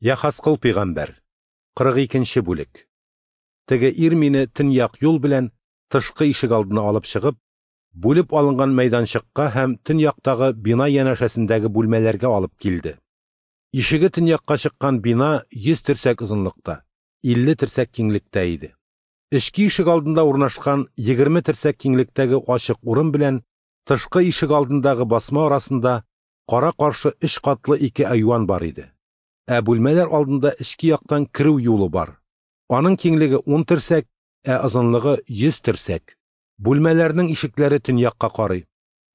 Яхаскыл пәйгамбәр. 42 нче бүлек. Теге ир мине төньяк юл белән тышкы ишегалдына алып чыгып, бүлеп алынган мәйданчыкка һәм төньяктагы бина янәшәсендәге бүлмәләргә алып килде. Ишеге төньякка чыккан бина 100 терсәк озынлыкта, 50 терсәк киңлектә иде. Эчке ишегалдында урнашкан 20 терсәк киңлектәге ачык урын белән тышкы ишегалдындагы басма арасында кара-каршы өч катлы ике айван бар иде. Ә бүлмәләр алдында эчке яктан керү юлы бар. Аның киңлеге 10 терсәк, ә озынлыгы 100 терсәк. Бүлмәләрнең ишекләре төньякка карый.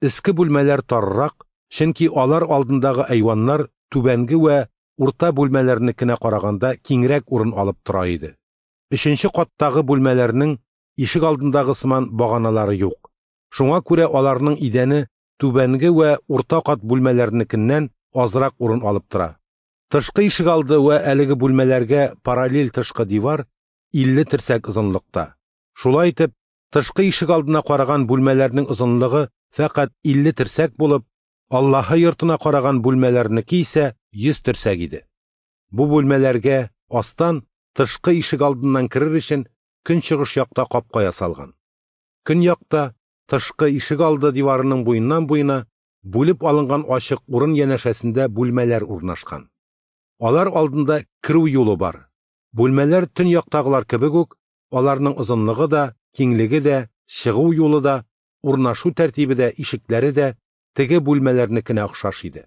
Өске бүлмәләр таррак, чөнки алар алдындагы айваннар түбәнге вә урта бүлмәләрнекенә караганда киңрәк урын алып тора иде. Өченче каттагы бүлмәләрнең ишек алдындагы сыман баганалары юк. Шуңа күрә аларның идәне түбәнге вә урта кат бүлмәләрнекеннән азрак урын алып тора. Тышкы ишегалды вә әлеге бүлмәләргә параллель тышкы дивар 50 терсәк озынлыкта. Шулай итеп, тышкы ишегалдына караган бүлмәләрнең озынлыгы фәкать 50 терсәк булып, Аллаһы йортына караган бүлмәләрнеке исә 100 терсәк иде. Бу бүлмәләргә астан тышкы ишегалдыннан керер өчен көнчыгыш якта капка ясалган. Көньякта тышкы ишегалды диварының буеннан-буена бүлеп алынган ачык урын янәшәсендә бүлмәләр урнашкан. Алар алдында керү юлы бар. Бүлмәләр төньяктагылар кебек үк, аларның озынлыгы да, киңлеге дә, чыгу юлы да, урнашу тәртибе дә, ишекләре дә теге бүлмәләрнекенә охшаш иде.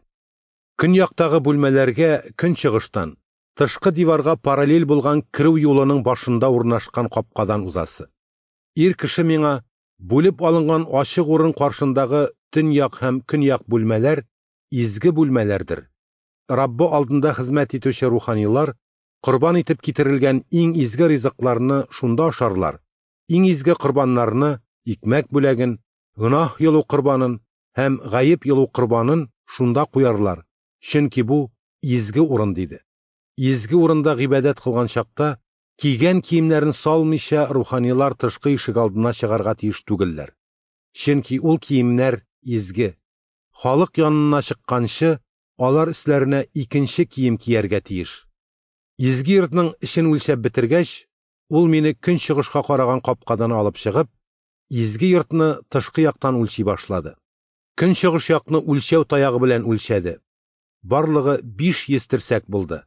Көньяктагы бүлмәләргә көнчыгыштан, тышкы диварга параллель булган керү юлының башында урнашкан капкадан узасы. Ир кеше миңа бүлеп алынган ачык урын каршындагы төньяк һәм көньяк бүлмәләр изге бүлмәләрдер. Раббы алдында хезмәт итүче руханилар корбан итеп китерелгән иң изге ризыкларны шунда ашарлар, иң изге корбаннарны, икмәк бүләген, гөнаһ йолу корбанын һәм гаеп йолу корбанын шунда куярлар, чөнки бу изге урын, диде. Изге урында гыйбадәт кылган чакта кигән киемнәрен салмыйча руханилар тышкы ишегалдына чыгарга тиеш түгелләр. Чөнки ул киемнәр изге. Халык янына чыкканчы алар өсләренә икенче кием кияргә тиеш. Изге йортның эчен үлчәп бетергәч, ул мине көнчыгышка караган капкадан алып чыгып, изге йортны тышкы яктан үлчи башлады. Көнчыгыш якны үлчәү таягы белән үлчәде. Барлыгы 500 терсәк булды.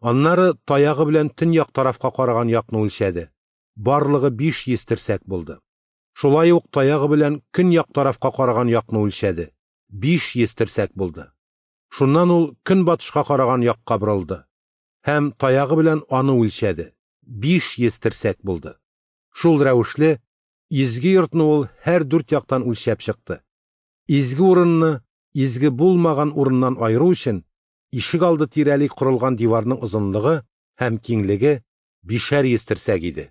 Аннары таягы белән төньяк тарафка караган якны үлчәде. Барлыгы 500 терсәк булды. Шулай ук таягы белән көньяк тарафка караган якны үлчәде. 500 терсәк булды. Шуннан ул көнбатышка караган якка борылды һәм таягы белән аны үлчәде. 500 терсәк булды. Шул рәвешле изге йортны ул һәр дүрт яктан үлчәп чыкты. Изге урынны изге булмаган урыннан аеру өчен ишегалды тирәли корылган диварның озынлыгы һәм киңлеге 500 терсәк иде.